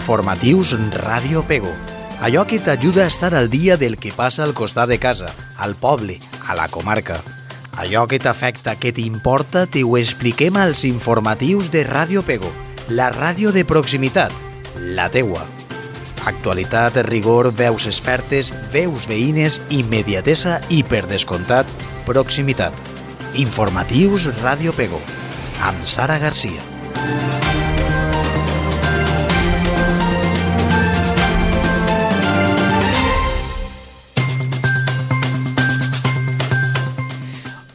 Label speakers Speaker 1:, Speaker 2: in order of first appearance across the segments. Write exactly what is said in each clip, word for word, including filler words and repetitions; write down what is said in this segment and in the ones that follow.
Speaker 1: Informatius Ràdio Pego. Allò que t'ajuda a estar al dia del que passa al costat de casa, al poble, a la comarca. Allò que t'afecta, que t'importa, te ho expliquem als informatius de Ràdio Pego, la ràdio de proximitat, la teua. Actualitat, rigor, veus expertes, veus veïnes, immediatesa i, per descomptat, proximitat. Informatius Ràdio Pego, amb Sara Garcia.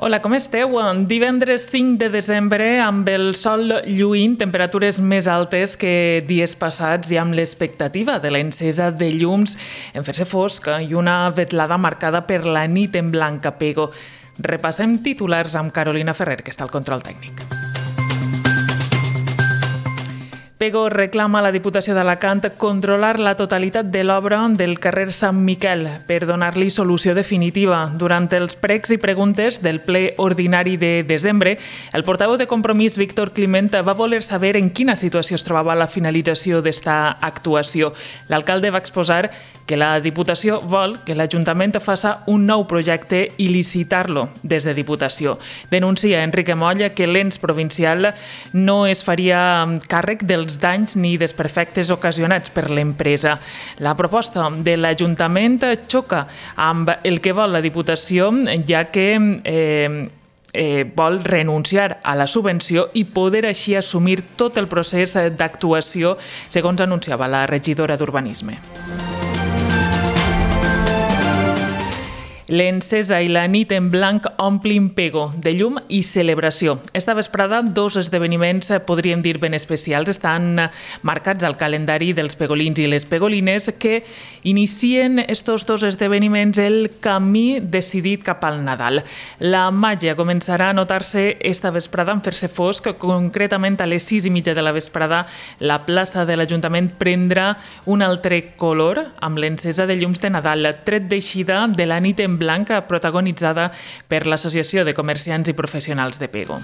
Speaker 2: Hola, com esteu? Divendres cinc de desembre, amb el sol lluint, temperatures més altes que dies passats i amb l'expectativa de l'encesa de llums en fer-se fosc i una vetlada marcada per la nit en blanc a Pego. Repassem titulars amb Carolina Ferrer, que està al control tècnic. Pego reclama a la Diputació d'Alacant controlar la totalitat de l'obra del carrer Sant Miquel per donar-li solució definitiva. Durant els pregs i preguntes del ple ordinari de desembre, el portaveu de Compromís, Víctor Climent, va voler saber en quina situació es trobava la finalització d'esta actuació. L'alcalde va exposar que la Diputació vol que l'Ajuntament faci un nou projecte i licitar-lo des de Diputació. Denuncia Enrique Moll que l'ens provincial no es faria càrrec dels danys ni desperfectes ocasionats per l'empresa. La proposta de l'Ajuntament xoca amb el que vol la Diputació, ja que eh, eh, vol renunciar a la subvenció i poder així assumir tot el procés d'actuació, segons anunciava la regidora d'Urbanisme. L'encesa i la nit en blanc omplin Pego de llum i celebració. Esta vesprada, dos esdeveniments, podríem dir ben especials, estan marcats al calendari dels pegolins i les pegolines, que inicien estos dos esdeveniments el camí decidit cap al Nadal. La màgia començarà a notar-se esta vesprada en fer-se fosc, concretament a les sis i mitja de la vesprada. La plaça de l'Ajuntament prendrà un altre color amb l'encesa de llums de Nadal, tret d'eixida de la nit en blanca protagonitzada per l'Associació de Comerciants i Professionals de Pego.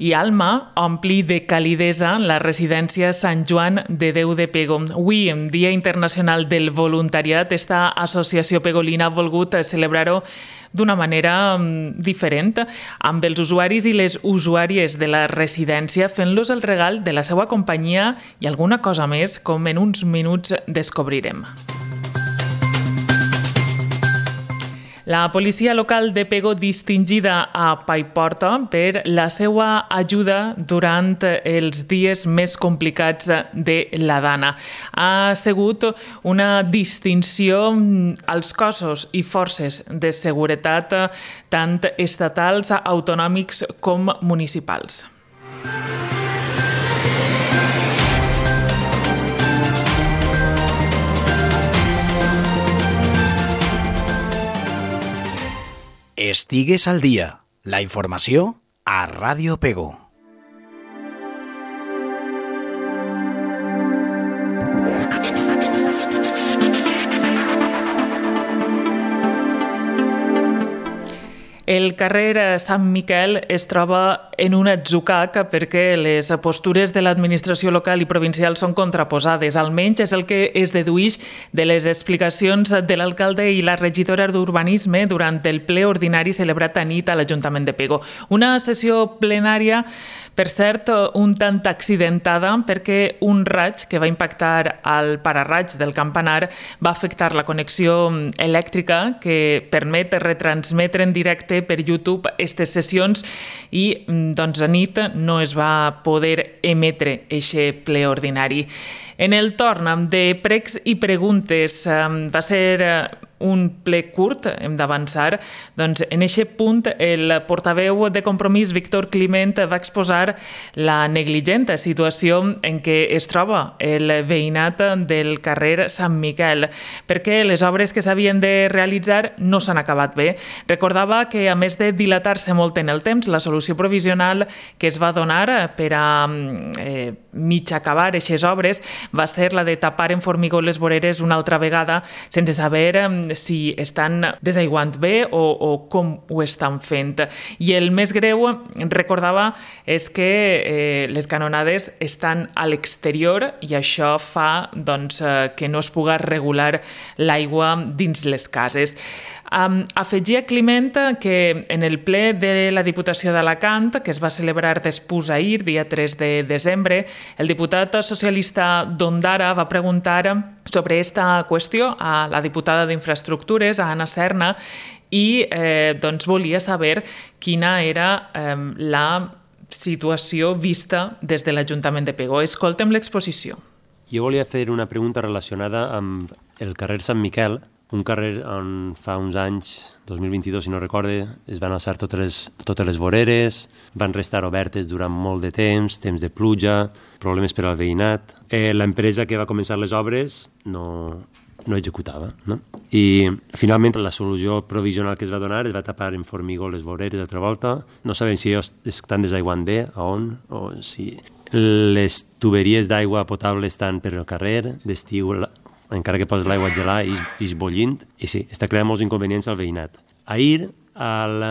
Speaker 2: I Alma ompli de calidesa la residència Sant Joan de Déu de Pego. Avui, Dia Internacional del Voluntariat, esta associació pegolina ha volgut celebrar-ho d'una manera diferent, amb els usuaris i les usuàries de la residència fent-los el regal de la seva companyia i alguna cosa més, com en uns minuts descobrirem. La policia local de Pego, distingida a Paiporta per la seva ajuda durant els dies més complicats de la Dana. Ha sigut una distinció als cossos i forces de seguretat tant estatals, autonòmics com municipals.
Speaker 1: Estigues al dia. La informació a Ràdio Pego.
Speaker 2: El carrer Sant Miquel es troba en un atzucac perquè les postures de l'administració local i provincial són contraposades. Almenys és el que es deduïx de les explicacions de l'alcalde i la regidora d'Urbanisme durant el ple ordinari celebrat a nit a l'Ajuntament de Pego. Una sessió plenària, per cert, un tant accidentada perquè un raig que va impactar al pararraig del campanar va afectar la connexió elèctrica que permet retransmetre en directe per YouTube aquestes sessions i doncs a nit no es va poder emetre aquest ple ordinari. En el torn de pregs i preguntes va ser un ple curt, hem d'avançar, doncs en aquest punt el portaveu de Compromís, Víctor Climent, va exposar la negligent situació en què es troba el veïnat del carrer Sant Miquel, perquè les obres que s'havien de realitzar no s'han acabat bé. Recordava que, a més de dilatar-se molt en el temps, la solució provisional que es va donar per a eh, mig acabar aquestes obres va ser la de tapar en formigó les voreres una altra vegada, sense saber si estan desaiguant bé o, o com ho estan fent. I el més greu, recordava, és que eh, les canonades estan a l'exterior i això fa doncs, eh, que no es pugui regular l'aigua dins les cases. Um, afegia Climent que en el ple de la Diputació d'Alacant, que es va celebrar després ahir, dia tres de desembre, el diputat socialista d'Ondara va preguntar sobre aquesta qüestió a la diputada d'Infraestructures, a Anna Serna, i eh, doncs volia saber quina era eh, la situació vista des de l'Ajuntament de Pego. Escoltem l'exposició.
Speaker 3: Jo volia fer una pregunta relacionada amb el carrer Sant Miquel, un carrer on fa uns anys, dos mil vint-i-dos, si no recorde, es van alçar totes les, totes les voreres, van restar obertes durant molt de temps, temps de pluja, problemes per al veïnat. Eh, L'empresa que va començar les obres no, no executava. No? I finalment la solució provisional que es va donar es va tapar en formigó les voreres d'altra volta. No sabem si ells estan desaiguant bé, a on, o si les tuberies d'aigua potable estan per el carrer, d'estiu encara que poses l'aigua a gelar, ix bollint, i sí, està creant molts inconvenients al veïnat. Ahir, al,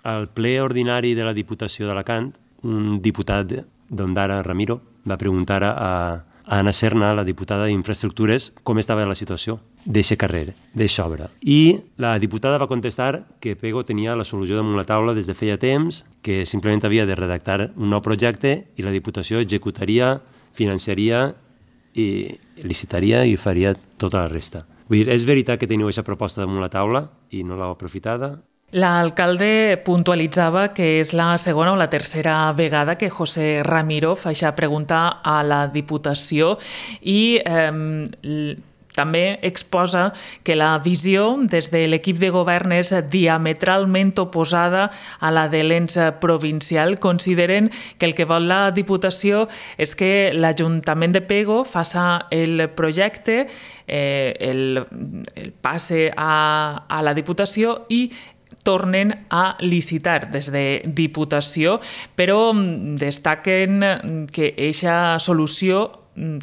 Speaker 3: al ple ordinari de la Diputació d'Alacant, un diputat d'Ondara, Ramiro, va preguntar a, a Anna Serna, la diputada d'Infraestructures, com estava la situació d'aquest carrer, d'aquesta obra. I la diputada va contestar que Pego tenia la solució damunt la taula des de feia temps, que simplement havia de redactar un nou projecte i la Diputació executaria, financiaria i licitaria i faria tota la resta. Vull dir, és veritat que teniu aquesta proposta damunt la taula i no l'heu aprofitada?
Speaker 2: L'alcalde puntualitzava que és la segona o la tercera vegada que José Ramiro fa aquesta pregunta a la Diputació i eh, també exposa que la visió des de l'equip de govern és diametralment oposada a la de l'ens provincial. Consideren que el que vol la Diputació és que l'Ajuntament de Pego faça el projecte, eh, el, el passe a, a la Diputació i tornen a licitar des de Diputació, però destaquen que aquesta solució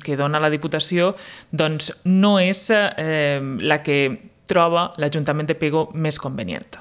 Speaker 2: que dona la Diputació doncs no és eh, la que troba l'Ajuntament de Pego més convenient.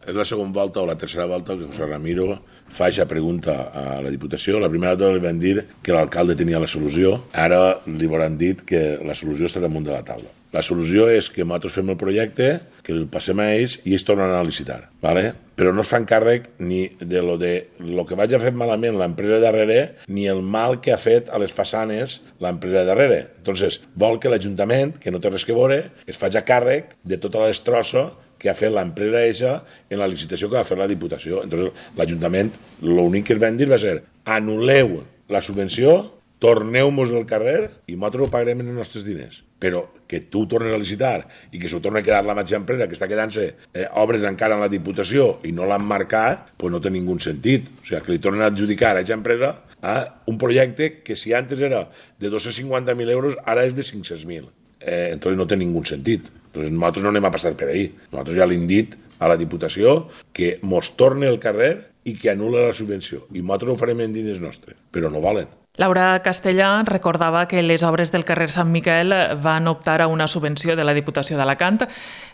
Speaker 4: És la segona volta o la tercera volta que José Ramiro fa aquesta pregunta a la Diputació. La primera volta li van dir que l'alcalde tenia la solució, ara li hauran dit que la solució està damunt de la taula. La solució és que nosaltres fem el projecte, que el passem a ells i ells tornen a licitar, ¿vale? Però no es fan càrrec ni de lo, de lo que vagi a fer malament l'empresa darrere ni el mal que ha fet a les façanes l'empresa darrere. Entonces, vol que l'Ajuntament, que no té res que veure, es faci càrrec de tota la destrossa que ha fet l'empresa eixa en la licitació que va fer la Diputació. Entonces, l'Ajuntament, l'únic que es van dir va ser anul·leu la subvenció, torneu-nos el carrer i nosaltres ho pagarem en els nostres diners. Però que tu tornes a licitar i que s'ho torni a quedar la mateixa empresa que està quedant-se eh, obres encara en la Diputació i no l'han marcat, pues no té ningú sentit. O sigui, que li tornen a adjudicar a aquesta empresa a un projecte que si antes era de dos-cents cinquanta mil euros, ara és de cinc-cents mil. Eh, entonces no té ningú sentit. Entonces nosaltres no anem a passar per ahí. Nosaltres ja l'hem dit a la Diputació que mos torne el carrer i que anul·la la subvenció. I nosaltres ho farem en diners nostres, però no valen.
Speaker 2: Laura Castellà recordava que les obres del carrer Sant Miquel van optar a una subvenció de la Diputació d'Alacant,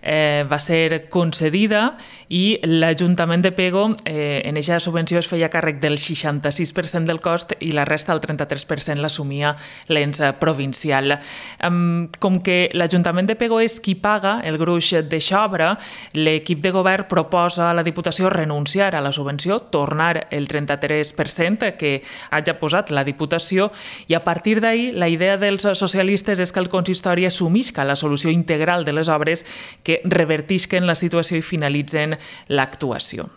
Speaker 2: eh, va ser concedida i l'Ajuntament de Pego eh, en aquesta subvenció es feia càrrec del seixanta-sis per cent del cost i la resta, el trenta-tres per cent, l'assumia l'ens provincial. Um, com que l'Ajuntament de Pego és qui paga el gruix d'eixa obra, l'equip de govern proposa a la Diputació renunciar a la subvenció, tornar el trenta-tres per cent que hagi posat la Diputació i a partir d'ahir la idea dels socialistes és que el consistori assumisca la solució integral de les obres que revertisquen la situació i finalitzen l'actuació.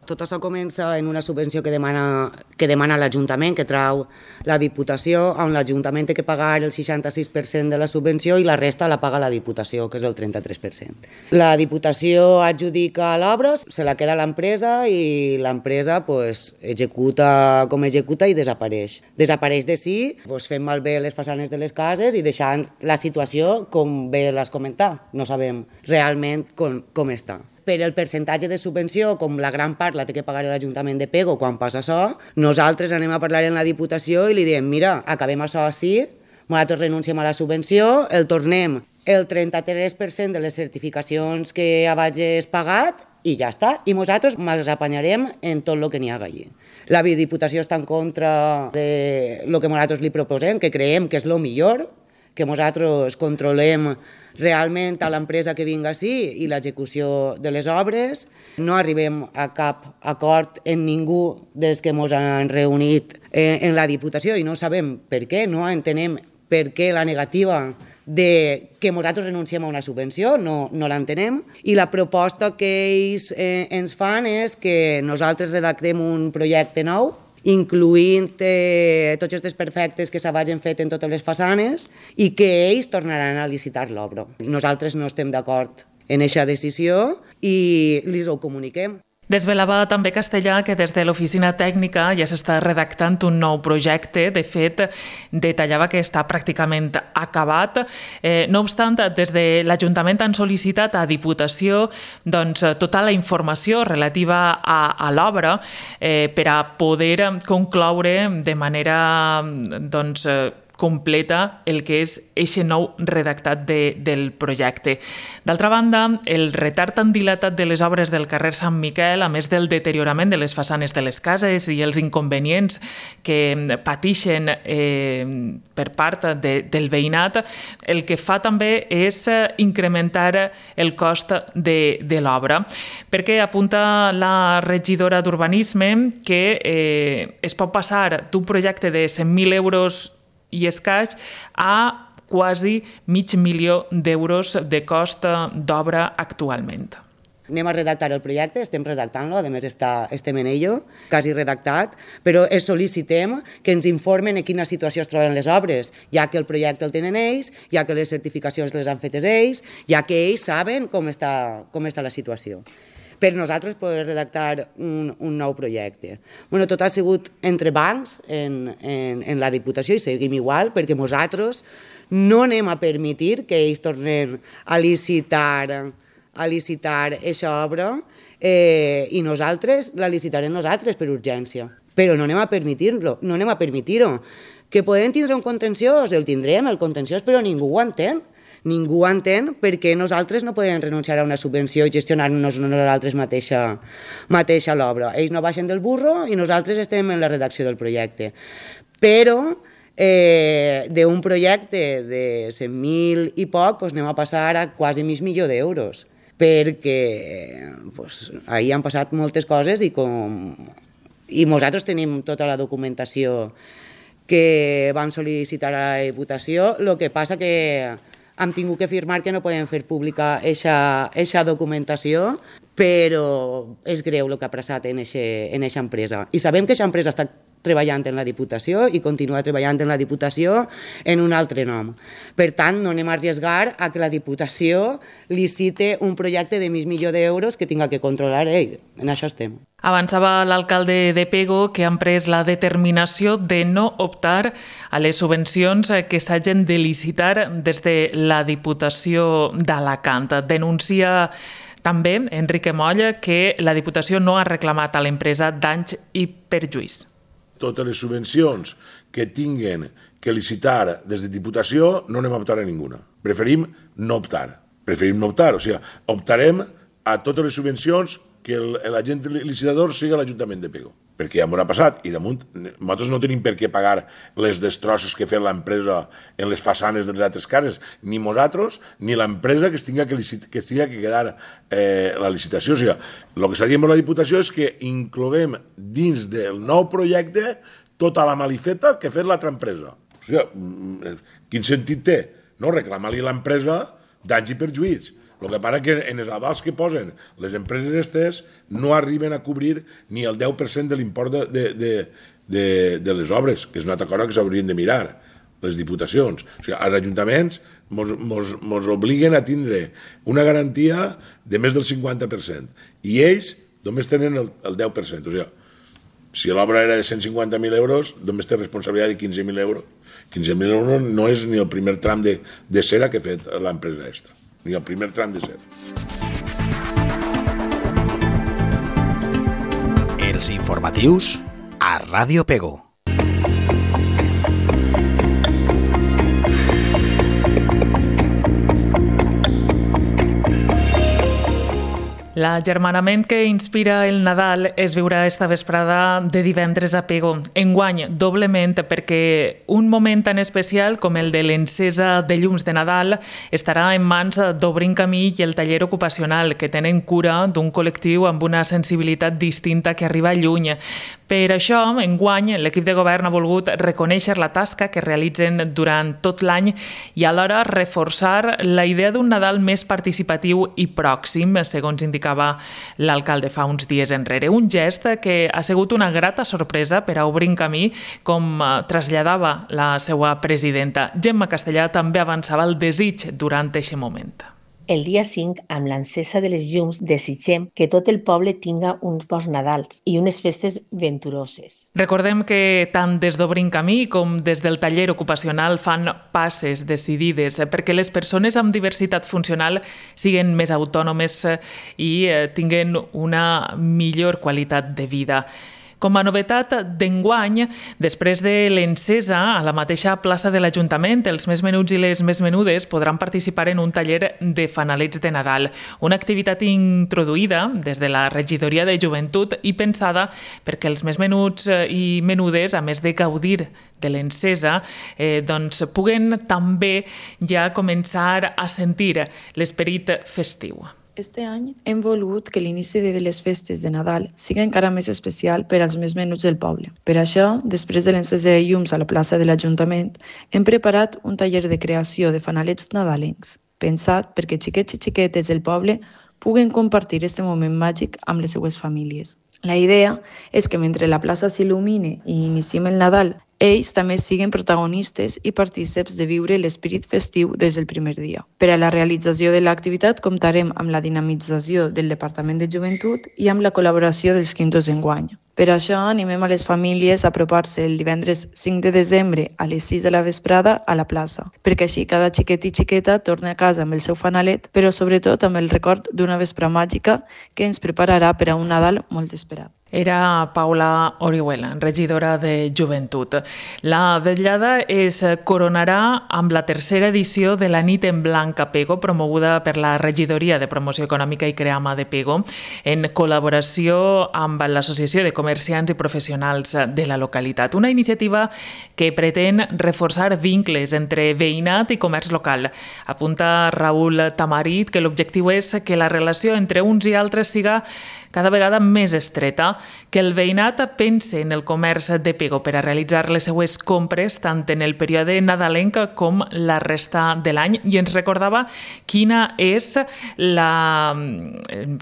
Speaker 5: Tot això comença en una subvenció que demana, que demana l'Ajuntament, que trau la Diputació, on l'Ajuntament té que pagar el seixanta-sis per cent de la subvenció i la resta la paga la Diputació, que és el trenta-tres per cent. La Diputació adjudica l'obra, se la queda l'empresa i l'empresa pues, executa com executa i desapareix. Desapareix de si, pues, fent malbé les façanes de les cases i deixant la situació com bé l'has comentat. No sabem realment com, com està. Per el percentatge de subvenció, com la gran part la té que pagar l'Ajuntament de Pego quan passa això, nosaltres anem a parlar en la Diputació i li diem, mira, acabem això així, nosaltres renunciem a la subvenció, el tornem el trenta-tres per cent de les certificacions que hagis pagat i ja està. I nosaltres ens apanyarem en tot el que n'hi ha allí. La Diputació està en contra de lo que nosaltres li proposem, que creiem que és el millor, que nosaltres controlem realment a l'empresa que vinga així i l'execució de les obres. No arribem a cap acord en ningú des que ens han reunit en la Diputació i no sabem per què, no entenem per què la negativa de que nosaltres renunciem a una subvenció, no, no l'entenem. I la proposta que ells eh, ens fan és que nosaltres redactem un projecte nou, incluint eh, tots els desperfectes que s'hagin fet en totes les façanes i que ells tornaran a licitar l'obra. Nosaltres no estem d'acord en aquesta decisió i els ho comuniquem.
Speaker 2: Desvelava també Castellà que des de l'oficina tècnica ja s'està redactant un nou projecte. De fet, detallava que està pràcticament acabat. Eh, no obstant, des de l'Ajuntament han sol·licitat a Diputació doncs, tota la informació relativa a, a l'obra eh, per a poder concloure de manera doncs, completa el que és eixe nou redactat de, del projecte. D'altra banda, el retard tan dilatat de les obres del carrer Sant Miquel, a més del deteriorament de les façanes de les cases i els inconvenients que patixen eh, per part de, del veïnat, el que fa també és incrementar el cost de, de l'obra, perquè apunta la regidora d'Urbanisme que eh, es pot passar d'un projecte de cent mil euros i escaig a quasi mig milió d'euros de cost d'obra actualment.
Speaker 5: Anem a redactar el projecte, estem redactant-lo, a més està, estem en ello, quasi redactat, però es sol·licitem que ens informen en quina situació es troben les obres, ja que el projecte el tenen ells, ja que les certificacions les han fetes ells, ja que ells saben com està, com està la situació. Per nosaltres poder redactar un, un nou projecte. Bueno, tot ha sigut entre bancs en, en, en la Diputació i seguim igual, perquè nosaltres no anem a permetir que ells tornen a licitar a licitar aquesta obra eh, i nosaltres la licitarem nosaltres per urgència. Però no anem a permetir-lo, no anem a permetir-ho. Que podem tindre un contenciós, el tindrem, el contenciós, però ningú ho entén. Ningú entén perquè nosaltres no podem renunciar a una subvenció i gestionar-nos nosaltres mateixa, mateixa l'obra. Ells no baixen del burro i nosaltres estem en la redacció del projecte. Però eh, d'un projecte de cent mil i poc pues, anem a passar a quasi mig milió d'euros perquè pues, ahir han passat moltes coses i, com, i nosaltres tenim tota la documentació que vam sol·licitar a la Diputació. El que passa que hem tingut que firmar que no podem fer pública aquesta documentació, però és greu el que ha passat en aquesta empresa. I sabem que aquesta empresa està treballant en la Diputació i continua treballant en la Diputació en un altre nom. Per tant, no anem a arriesgar a que la Diputació licite un projecte de mig milió d'euros que tinga que controlar ell. En això estem.
Speaker 2: Avançava l'alcalde de Pego que han pres la determinació de no optar a les subvencions que s'hagin de licitar des de la Diputació d'Alacant. Denuncia també Enrique Moll que la Diputació no ha reclamat a l'empresa danys i perjuís.
Speaker 4: Totes les subvencions que tinguen que licitar des de Diputació no anem a optar a ninguna. Preferim no optar. Preferim no optar, o sigui, optarem a totes les subvencions que l'agent licitador sigui l'Ajuntament de Pego. Perquè ja m'ho ha passat i damunt nosaltres no tenim per què pagar les destrosses que ha fet l'empresa en les façanes de les altres cases, ni nosaltres ni l'empresa que es tinga que, que, que quedar eh, la licitació. O sigui, el que està dient la Diputació és que incloguem dins del nou projecte tota la malifeta que ha fet l'altra empresa. O sigui, quin sentit té? No reclamar-li a l'empresa danys i perjuïts. El que passa que en els avals que posen les empreses estes no arriben a cobrir ni el deu per cent de l'import de, de, de, de, de les obres, que és una altra cosa que s'haurien de mirar, les diputacions. O sigui, els ajuntaments mos, mos, mos obliguen a tindre una garantia de més del cinquanta per cent i ells només tenen el, el deu per cent. O sigui, si l'obra era de cent cinquanta mil euros, només té responsabilitat de quinze mil euros. quinze mil euros no és ni el primer tram de, de cera que ha fet l'empresa extra. Ni el primer tram de ser.
Speaker 1: Els informatius a Ràdio Pego.
Speaker 2: L'agermanament que inspira el Nadal es viurà esta vesprada de divendres a Pego. Enguany, doblement, perquè un moment tan especial com el de l'encesa de llums de Nadal estarà en mans d'Obrim Camí i el taller ocupacional, que tenen cura d'un col·lectiu amb una sensibilitat distinta que arriba lluny. Per això, enguany, l'equip de govern ha volgut reconèixer la tasca que realitzen durant tot l'any i alhora reforçar la idea d'un Nadal més participatiu i pròxim, segons indicava l'alcalde fa uns dies enrere. Un gest que ha sigut una grata sorpresa per a Obrim Camí, com traslladava la seva presidenta. Gemma Castellà també avançava el desig durant aquest moment.
Speaker 6: El dia cinc, amb l'encesa de les llums, desitgem que tot el poble tinga uns bons Nadals i unes festes venturoses.
Speaker 2: Recordem que tant des d'Obrim Camí com des del taller ocupacional fan passes decidides perquè les persones amb diversitat funcional siguin més autònomes i tinguin una millor qualitat de vida. Com a novetat d'enguany, després de l'encesa, a la mateixa plaça de l'Ajuntament, els més menuts i les més menudes podran participar en un taller de fanalets de Nadal, una activitat introduïda des de la Regidoria de Joventut i pensada perquè els més menuts i menudes, a més de gaudir de l'encesa, eh, doncs puguen també ja començar a sentir l'esperit festiu.
Speaker 7: Este any hem volgut que l'inici de les festes de Nadal sigui encara més especial per als més menuts del poble. Per això, després de l'encesa de llums a la plaça de l'Ajuntament, hem preparat un taller de creació de fanalets nadalencs, pensat perquè xiquets i xiquetes del poble puguen compartir aquest moment màgic amb les seues famílies. La idea és que mentre la plaça s'il·lumine i iniciem el Nadal, ells també siguen protagonistes i partícips de viure l'esperit festiu des del primer dia. Per a la realització de l'activitat comptarem amb la dinamització del Departament de Joventut i amb la col·laboració dels quintos d'enguany. Per això animem a les famílies a apropar-se el divendres cinc de desembre a les sis de la vesprada a la plaça, perquè així cada xiquet i xiqueta torna a casa amb el seu fanalet, però sobretot amb el record d'una vespra màgica que ens prepararà per a un Nadal molt esperat.
Speaker 2: Era Paula Orihuela, regidora de Joventut. La vetllada es coronarà amb la tercera edició de la Nit en Blanc a Pego, promoguda per la Regidoria de Promoció Econòmica i Creama de Pego, en col·laboració amb l'Associació de Comerciants i Professionals de la localitat. Una iniciativa que pretén reforçar vincles entre veïnat i comerç local. Apunta Raül Tamarit que l'objectiu és que la relació entre uns i altres siga cada vegada més estreta, que el veïnat pense en el comerç de Pego per a realitzar les seues compres tant en el període nadalenc com la resta de l'any, i ens recordava quina és la...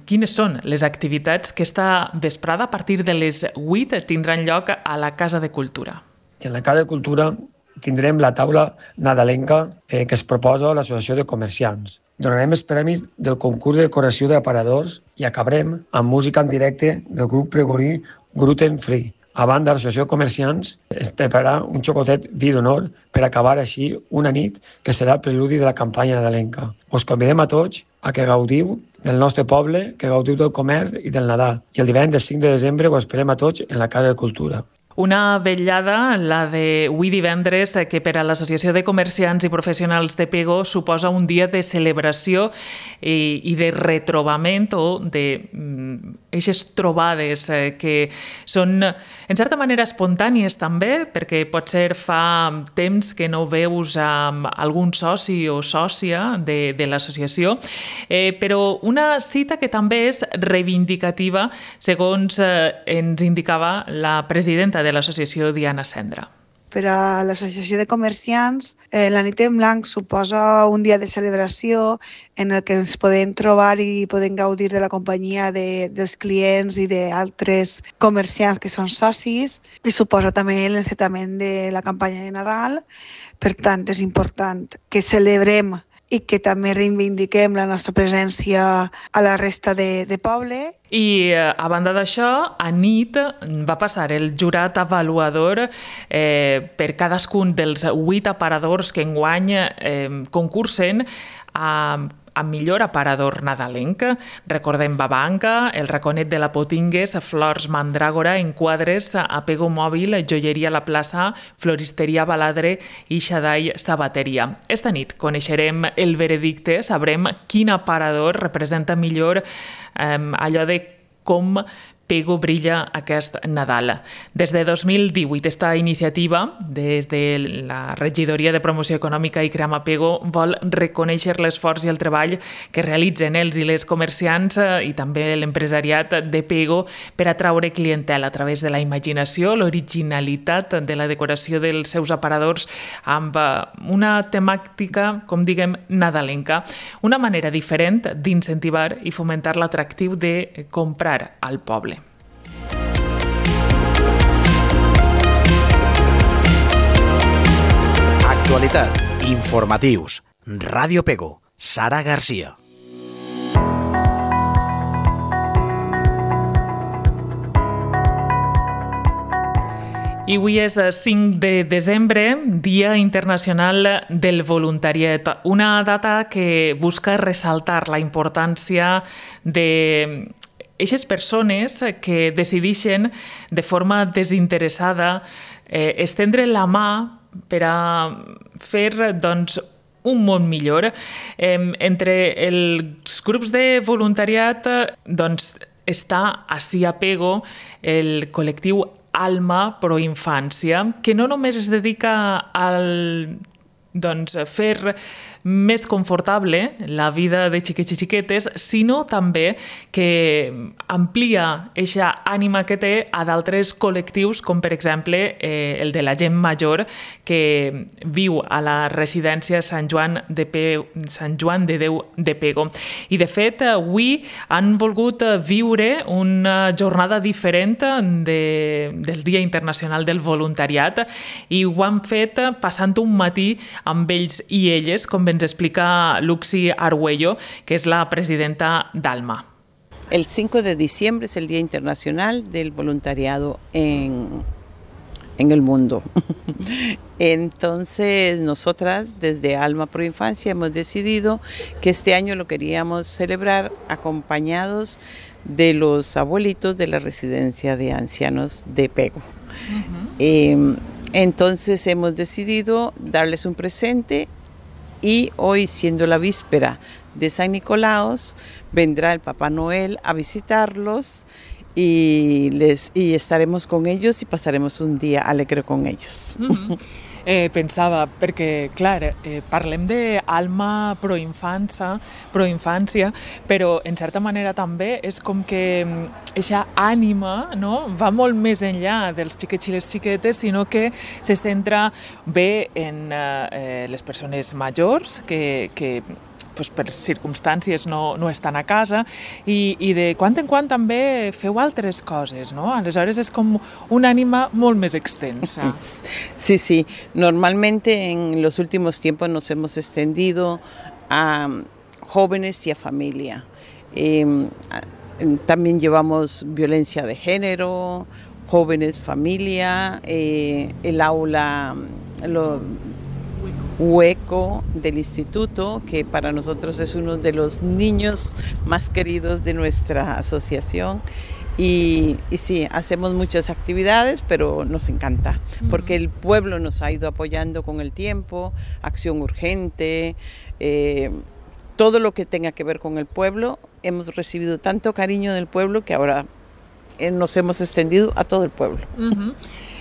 Speaker 2: quines són les activitats que esta vesprada a partir de les vuit tindran lloc a la Casa de Cultura.
Speaker 8: En la Casa de Cultura tindrem la taula nadalenca eh, que es proposa a l'Associació de Comerciants. Donarem els premis del concurs de decoració d'aparadors i acabarem amb música en directe del grup pregorí Gluten Free. A banda, l'Associació de Comerciants es prepararà un xocotet vi d'honor per acabar així una nit que serà el preludi de la campanya nadalenca. Us convidem a tots a que gaudiu del nostre poble, que gaudiu del comerç i del Nadal. I el divendres cinc de desembre ho esperem a tots en la Casa de Cultura.
Speaker 2: Una vetllada, la d'avui divendres, que per a l'Associació de Comerciants i Professionals de Pego suposa un dia de celebració i, i de retrobament o d'eixes trobades que són, en certa manera, espontànies també, perquè potser fa temps que no veus amb algun soci o sòcia de, de l'associació, eh, però una cita que també és reivindicativa, segons eh, ens indicava la presidenta de de l'associació Diana Cendra.
Speaker 9: Per a l'Associació de Comerciants, eh, la Nit en Blanc suposa un dia de celebració en el que ens podem trobar i podem gaudir de la companyia de, dels clients i d'altres comerciants que són socis, i suposa també l'encetament de la campanya de Nadal. Per tant, és important que celebrem i que també reivindiquem la nostra presència a la resta de, de poble.
Speaker 2: I a banda d'això, a nit va passar el jurat avaluador eh, per cadascun dels vuit aparadors que enguany eh, concursen a amb millor aparador nadalenc. Recordem Babanca, el Raconet de la Potingues, Flors Mandràgora, Enquadres, Apego Mòbil, Joieria La Plaça, Floristeria Baladre i Xadai Sabateria. Esta nit coneixerem el veredicte, sabrem quin aparador representa millor eh, allò de com Pego brilla aquest Nadal. Des de dos mil divuit, esta iniciativa, des de la Regidoria de Promoció Econòmica i Cream Apego, vol reconèixer l'esforç i el treball que realitzen els i les comerciants i també l'empresariat de Pego per atraure clientela a través de la imaginació, l'originalitat de la decoració dels seus aparadors amb una temàtica, com diguem, nadalenca. Una manera diferent d'incentivar i fomentar l'atractiu de comprar al poble.
Speaker 1: Actualitat, informatius, Ràdio Pego, Sara Garcia.
Speaker 2: I avui és cinc de desembre, Dia Internacional del Voluntariat, una data que busca ressaltar la importància de aquestes persones que decideixen de forma desinteressada eh, estendre la mà per a fer doncs, un món millor. Eh, entre els grups de voluntariat doncs, està ací a Pego el col·lectiu Alma Pro Infància, que no només es dedica al doncs, fer més confortable la vida de xiquets i xiquetes, sinó també que amplia aquesta ànima que té a d'altres col·lectius, com per exemple eh, el de la gent major que viu a la residència Sant Joan de, Pe... Sant Joan de Déu de Pego. I de fet, avui han volgut viure una jornada diferent de... del Dia Internacional del Voluntariat i ho han fet passant un matí amb ells i elles, com ens explica Luxi Arguello, que es la presidenta d'Alma.
Speaker 10: El cinco de diciembre es el Día Internacional del Voluntariado en, en el mundo. Entonces, nosotras desde Alma Pro Infancia hemos decidido que este año lo queríamos celebrar acompañados de los abuelitos de la residencia de ancianos de Pego. Uh-huh. eh, entonces hemos decidido darles un presente. Y hoy, siendo la víspera de San Nicolaos, vendrá el Papá Noel a visitarlos y, les, y estaremos con ellos y pasaremos un día alegre con ells.
Speaker 2: Mm-hmm. Eh, pensava, perquè, clar, eh, parlem d'Alma Pro Infància, Pro Infància, però en certa manera també és com que aquesta ànima, no, va molt més enllà dels xiquets i les xiquetes, sinó que se centra bé en eh, les persones majors que, que pues, per circumstàncies no, no estan a casa i, i de quan en quan també feu altres coses, no? Aleshores és com una ànima molt més extensa.
Speaker 10: Sí, sí. Normalmente en los últimos tiempos nos hemos extendido a jóvenes y a familia. Eh, también llevamos violencia de género, jóvenes, familia, eh, el aula... Lo, Hueco del instituto, que para nosotros es uno de los niños más queridos de nuestra asociación. Y, y sí, hacemos muchas actividades, pero nos encanta, porque el pueblo nos ha ido apoyando con el tiempo, acción urgente, eh, todo lo que tenga que ver con el pueblo. Hemos recibido tanto cariño del pueblo que ahora eh, nos hemos extendido a todo el pueblo.
Speaker 2: Uh-huh.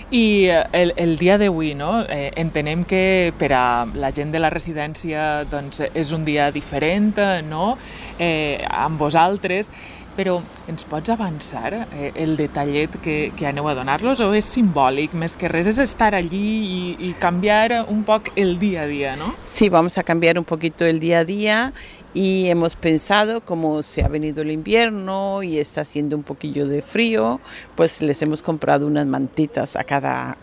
Speaker 2: I el, el dia d'avui, no? eh, entenem que per a la gent de la residència doncs, és un dia diferent, no? eh, amb vosaltres, però ens pots avançar eh, el detallet que, que aneu a donar-los o és simbòlic? Més que res és estar allí i, i canviar un poc el dia a dia, ¿no?
Speaker 10: Sí, vamos a cambiar un poquito el día a día. Y hemos pensado, como se ha venido el invierno y está haciendo un poquillo de frío, pues les hemos comprado unas mantitas a cada,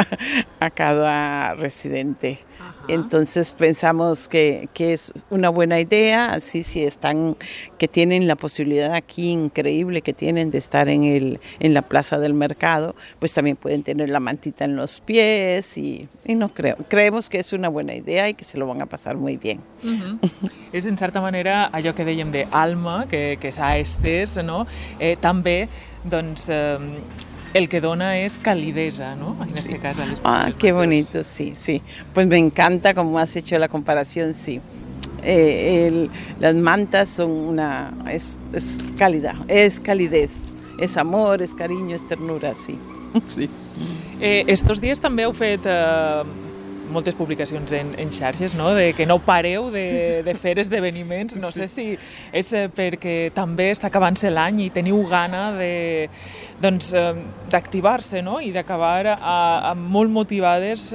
Speaker 10: a cada residente. Ajá. Entonces pensamos que, que es una buena idea, así si están, que tienen la posibilidad aquí increíble que tienen de estar en, el, en la plaza del mercado, pues también pueden tener la mantita en los pies y, y no creo, creemos que es una buena idea y que se lo van a pasar muy bien.
Speaker 2: Uh-huh. És en certa manera allò que dèiem d'alma, que, que s'ha estès, no? eh, també doncs, eh, el que dona es calideza, ¿no? En este sí. caso. Al
Speaker 10: ah, qué bonito, sí, sí. Pues me encanta como has hecho la comparación, sí. Eh, el, las mantas son una, es, es calidad, es calidez, es amor, es cariño, es ternura, sí. sí.
Speaker 2: Eh, estos dies també heu fet eh, moltes publicacions en, en xarxes, no? De que no pareu de, de fer esdeveniments. No sé si és perquè també està acabant-se l'any i teniu gana de, doncs, d'activar-se, no? I d'acabar a, a molt motivades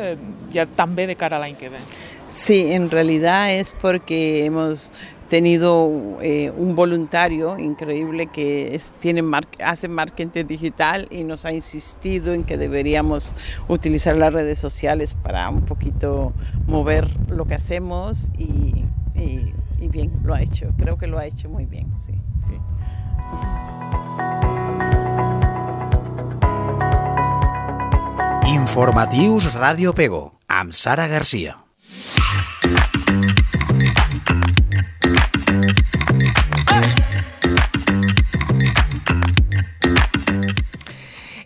Speaker 2: ja també de cara a l'any que ve.
Speaker 10: Sí, en realidad es porque hemos tenido eh, un voluntario increíble que es, tiene mar, hace marketing digital y nos ha insistido en que deberíamos utilizar las redes sociales para un poquito mover lo que hacemos y, y, y bien, lo ha hecho, creo que lo ha hecho muy bien, sí, sí.
Speaker 1: Informatius Ràdio Pego, amb Sara Garcia.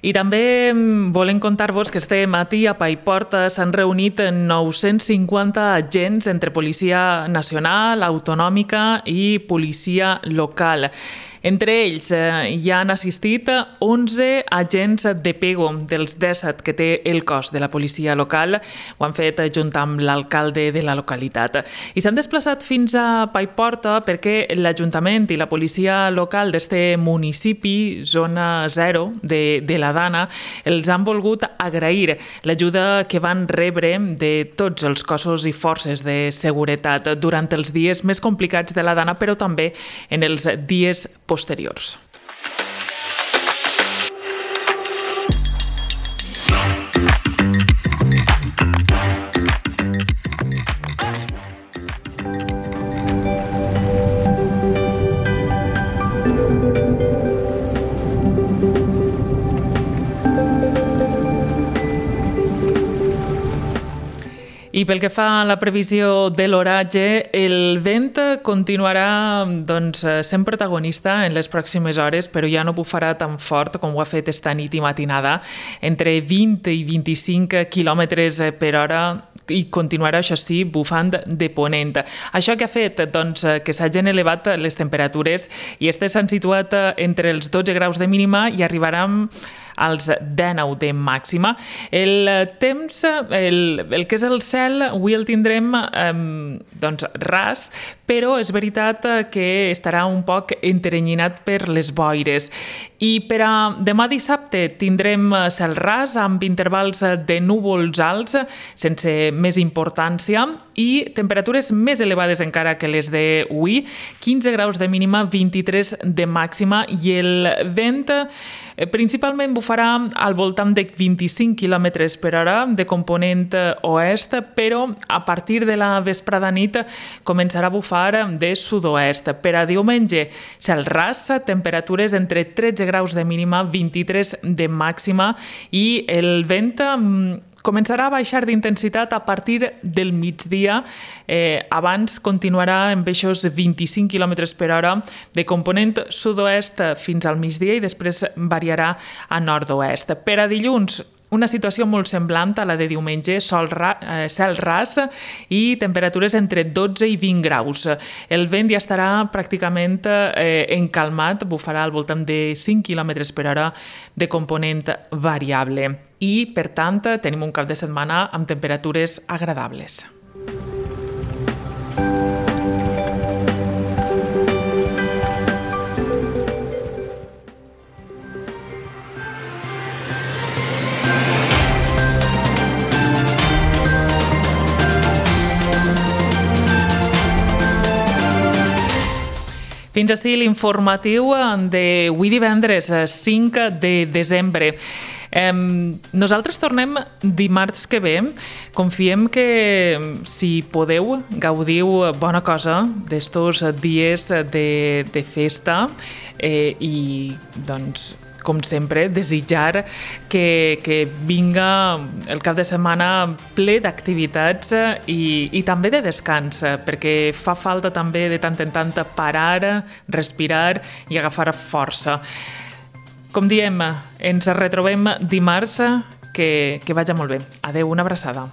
Speaker 2: I també volem contar-vos que este matí a Paiporta s'han reunit nou-cents cinquanta agents entre Policia Nacional, Autonòmica i Policia Local. Entre ells eh, hi han assistit onze agents de Pego dels disset que té el cos de la policia local. Ho han fet junt amb l'alcalde de la localitat. I s'han desplaçat fins a Paiporta perquè l'Ajuntament i la policia local d'este municipi, zona zero de, de la Dana, els han volgut agrair l'ajuda que van rebre de tots els cossos i forces de seguretat durant els dies més complicats de la Dana, però també en els dies posteriors. I pel que fa a la previsió de l'oratge, el vent continuarà doncs, sent protagonista en les pròximes hores, però ja no bufarà tan fort com ho ha fet esta nit i matinada, entre vint i vint-i-cinc quilòmetres per hora, i continuarà, això sí, bufant de ponent. Això que ha fet doncs, que s'hagin elevat les temperatures i aquestes s'han situat entre els dotze graus de mínima i arribaran als dinou de màxima. El temps, el, el que és el cel, avui el tindrem eh, doncs, ras, però és veritat que estarà un poc enteranyinat per les boires. I per a demà dissabte tindrem cel ras amb intervals de núvols alts sense més importància i temperatures més elevades encara que les d'avui, quinze graus de mínima, vint-i-tres de màxima, i el vent principalment bufarà al voltant de vint-i-cinc quilòmetres per hora de component oest, però a partir de la vesprada nit començarà a bufar de sud-oest. Per a diumenge, cel ras, temperatures entre tretze graus de mínima, vint-i-tres de màxima, i el vent començarà a baixar d'intensitat a partir del migdia. Eh, abans continuarà amb aquests vint-i-cinc quilòmetres per hora de component sud-oest fins al migdia i després variarà a nord-oest. Per a dilluns, una situació molt semblant a la de diumenge, sol ra, eh, cel ras i temperatures entre dotze i vint graus. El vent ja estarà pràcticament eh, encalmat, bufarà al voltant de cinc quilòmetres per hora de component variable. I, per tant, tenim un cap de setmana amb temperatures agradables. Fins així l'informatiu d'avui divendres, cinc de desembre. Eh, nosaltres tornem dimarts que ve. Confiem que, si podeu, gaudiu bona cosa d'estos dies de, de festa eh, i doncs com sempre, desitjar que, que vinga el cap de setmana ple d'activitats i, i també de descans, perquè fa falta també de tant en tant parar, respirar i agafar força. Com diem, ens retrobem dimarts, que, que vagi molt bé. Adeu, una abraçada.